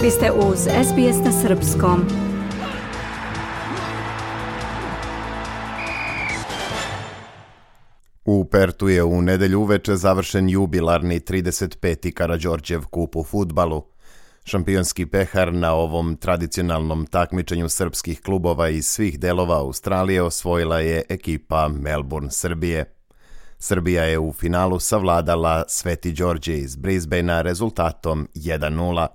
Vi ste uz SBS na srpskom. U Pertu je u nedelju uveče završen jubilarni 35. Karađorđev kup u fudbalu. Šampionski pehar na ovom tradicionalnom takmičenju srpskih klubova iz svih delova Australije osvojila je ekipa Melbourne Srbije. Srbija je u finalu savladala Sveti Đorđe iz Brisbanea rezultatom 1:0.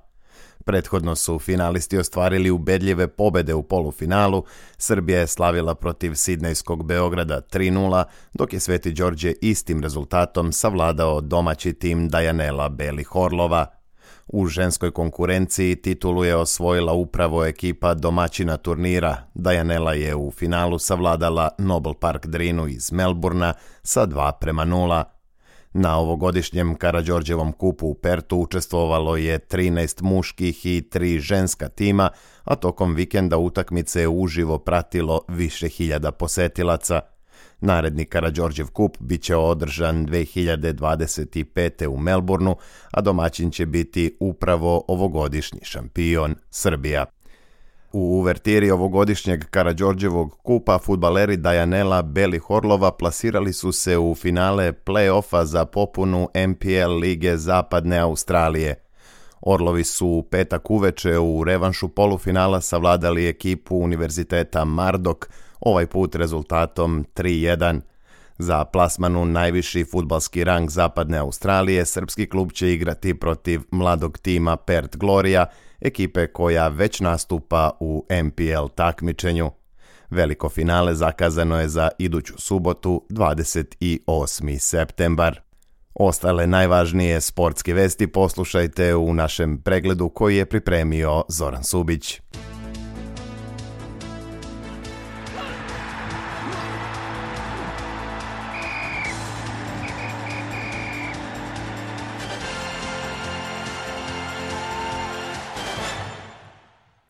Prethodno su finalisti ostvarili ubedljive pobede u polufinalu. Srbija je slavila protiv sidnejskog Beograda 3:0, dok je Sveti Đorđe istim rezultatom savladao domaći tim Dajanela Belih Orlova. U ženskoj konkurenciji titulu je osvojila upravo ekipa domaćina turnira. Dajanela je u finalu savladala Noble Park Drinu iz Melburna sa 2:0. Na ovogodišnjem Karađorđevom kupu u Pertu učestvovalo je 13 muških i 3 ženska tima, a tokom vikenda utakmice je uživo pratilo više hiljada posetilaca. Naredni Karađorđev kup bit će održan 2025. u Melbourneu, a domaćin će biti upravo ovogodišnji šampion Srbija. U uvertiri ovogodišnjeg Karađorđevog kupa fudbaleri Dajanela Belih Orlova plasirali su se u finale play-offa za popunu NPL lige Zapadne Australije. Orlovi su u petak uveče u revanšu polufinala savladali ekipu Univerziteta Mardok, ovaj put rezultatom 3:1. Za plasman u najviši fudbalski rang Zapadne Australije srpski klub će igrati protiv mladog tima Perth Gloria, ekipe koja već nastupa u NPL takmičenju. Veliko finale zakazano je za iduću subotu, 28. septembar. Ostale najvažnije sportske vesti poslušajte u našem pregledu koji je pripremio Zoran Subić.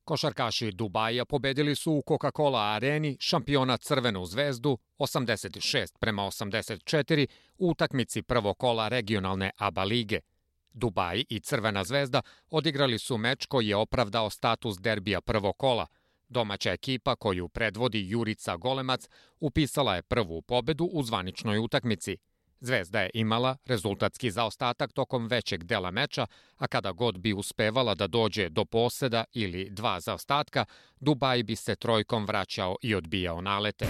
Košarkaši Dubaja pobedili su u Coca-Cola areni šampiona Crvenu zvezdu 86-84 u utakmici prvog kola regionalne ABA lige. Dubaj i Crvena zvezda odigrali su meč koji je opravdao status derbija prvog kola. Domaća ekipa koju predvodi Jurica Golemac upisala je prvu pobedu u zvaničnoj utakmici. Zvezda je imala rezultatski zaostatak tokom većeg dela meča, a kada god bi uspevala da dođe do poseda ili 2 zaostatka, Dubaj bi se trojkom vraćao i odbijao nalete.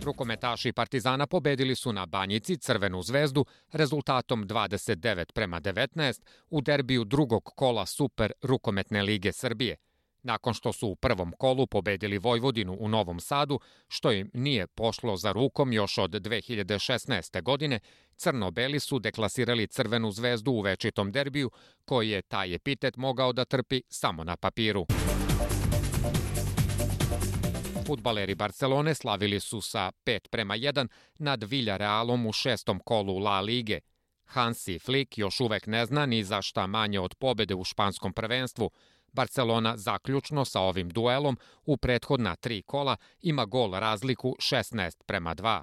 Rukometaši Partizana pobedili su na Banjici Crvenu zvezdu rezultatom 29-19 u derbiju drugog kola Super rukometne lige Srbije. Nakon što su u prvom kolu pobedili Vojvodinu u Novom Sadu, što im nije pošlo za rukom još od 2016. godine, crno-beli su deklasirali Crvenu zvezdu u večitom derbiju, koji je taj epitet mogao da trpi samo na papiru. Fudbaleri Barcelone slavili su sa 5:1 nad Villarrealom u 6. kolu La Lige. Hansi Flick još uvek ne zna ni za šta manje od pobede u španskom prvenstvu. Barcelona zaključno sa ovim duelom u prethodna 3 kola ima gol razliku 16:2.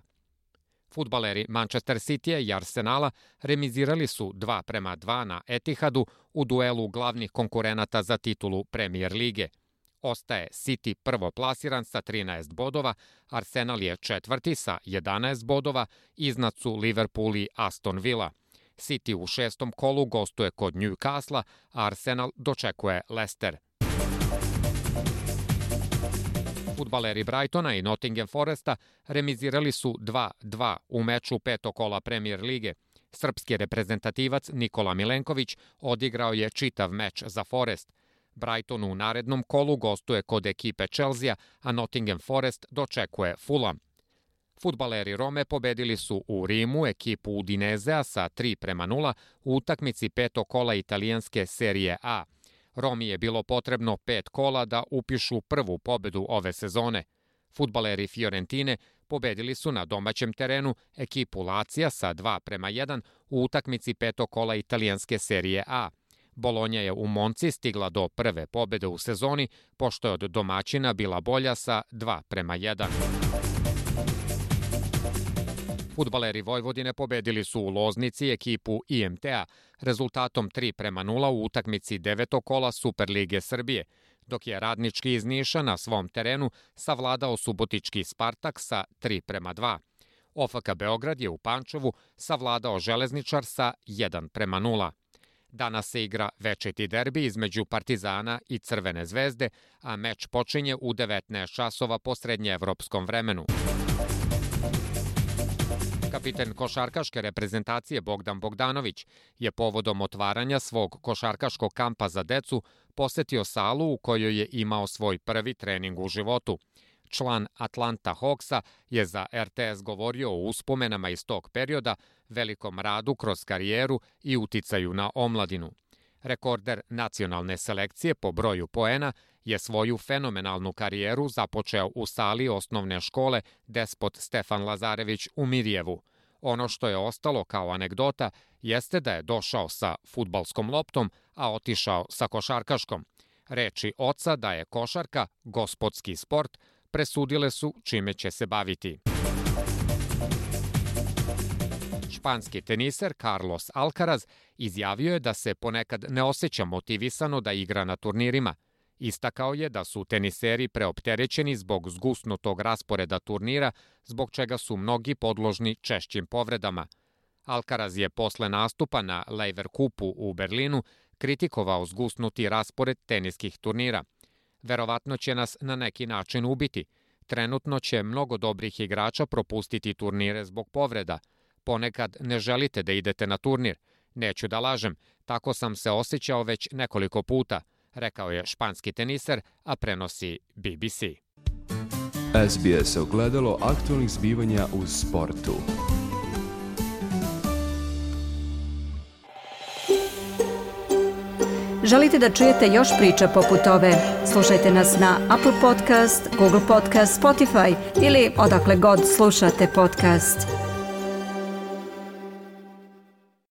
Fudbaleri Manchester Citya i Arsenala remizirali su 2:2 na Etihadu u duelu glavnih konkurenata za titulu Premier lige. Ostaje City prvoplasiran sa 13 bodova, Arsenal je četvrti sa 11 bodova, iznad su Liverpool i Aston Villa. City u 6. kolu gostuje kod Newcastle, a Arsenal dočekuje Leicester. Fudbaleri Brightona i Nottingham Foresta remizirali su 2:2 u meču petog kola Premier lige. Srpski reprezentativac Nikola Milenković odigrao je čitav meč za Forest. Brighton u narednom kolu gostuje kod ekipe Chelsea, a Nottingham Forest dočekuje Fulham. Fudbaleri Rome pobedili su u Rimu ekipu Udinezea sa 3:0 u utakmici petog kola italijanske serije A. Romi je bilo potrebno 5 kola da upišu prvu pobedu ove sezone. Fudbaleri Fiorentine pobedili su na domaćem terenu ekipu Lazija sa 2:1 u utakmici petog kola italijanske serije A. Bolonja je u Monci stigla do prve pobede u sezoni, pošto je od domaćina bila bolja sa 2:1. Fudbaleri Vojvodine pobedili su u Loznici ekipu IMT-a rezultatom 3:0 u utakmici 9. kola Superlige Srbije, dok je Radnički iz Niša na svom terenu savladao subotički Spartak sa 3:2. OFK Beograd je u Pančevu savladao Železničar sa 1:0. Danas se igra večiti derbi između Partizana i Crvene zvezde, a meč počinje u 19 časova po srednjeevropskom vremenu. Kapiten košarkaške reprezentacije Bogdan Bogdanović je povodom otvaranja svog košarkaškog kampa za decu posetio salu u kojoj je imao svoj prvi trening u životu. Član Atlanta Hawksa je za RTS govorio o uspomenama iz tog perioda, velikom radu kroz karijeru i uticaju na omladinu. Rekorder nacionalne selekcije po broju poena je svoju fenomenalnu karijeru započeo u sali osnovne škole Despot Stefan Lazarević u Mirjevu. Ono što je ostalo kao anegdota jeste da je došao sa fudbalskom loptom, a otišao sa košarkaškom. Reči oca da je košarka gospodski sport presudile su čime će se baviti. Španski teniser Carlos Alcaraz izjavio je da se ponekad ne osjeća motivisano da igra na turnirima. Istakao je da su teniseri preopterećeni zbog zgusnutog rasporeda turnira, zbog čega su mnogi podložni češćim povredama. Alcaraz je posle nastupa na Lever Kupu u Berlinu kritikovao zgusnuti raspored teniskih turnira. Verovatno će nas na neki način ubiti. Trenutno će mnogo dobrih igrača propustiti turnire zbog povreda. Ponekad ne želite da idete na turnir. Neću da lažem, tako sam se osjećao već nekoliko puta, rekao je španski teniser, a prenosi BBC. SBS ogledalo aktualnih zbivanja u sportu. Želite da čujete još priča poput ove? Slušajte nas na Apple Podcast, Google Podcast, Spotify ili odakle god slušate podcast.